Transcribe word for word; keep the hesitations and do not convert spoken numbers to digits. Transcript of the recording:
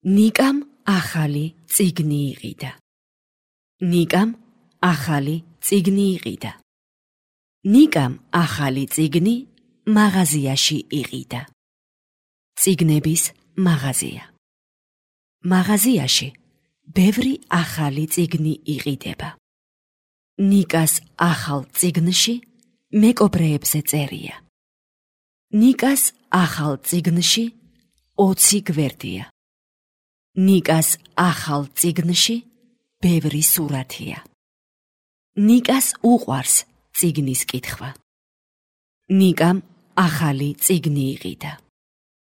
ნიკამ ახალი წიგნი იყიდა. ნიკამ ახალი წიგნი იყიდა. ნიკამ ახალი წიგნი მაღაზიაში იყიდა. წიგნების მაღაზია. მაღაზიაში ბევრი ახალი წიგნი იყიდება. ნიკას ახალ წიგნში მეკობრეებზე წერია. ნიკას ახალ წიგნში ოცი გვერდია. ნიკას ახალ წიგნში ბევრი სურათია. ნიკას უყვარს წიგნის კითხვა. ნიკამ ახალი წიგნი იყიდა.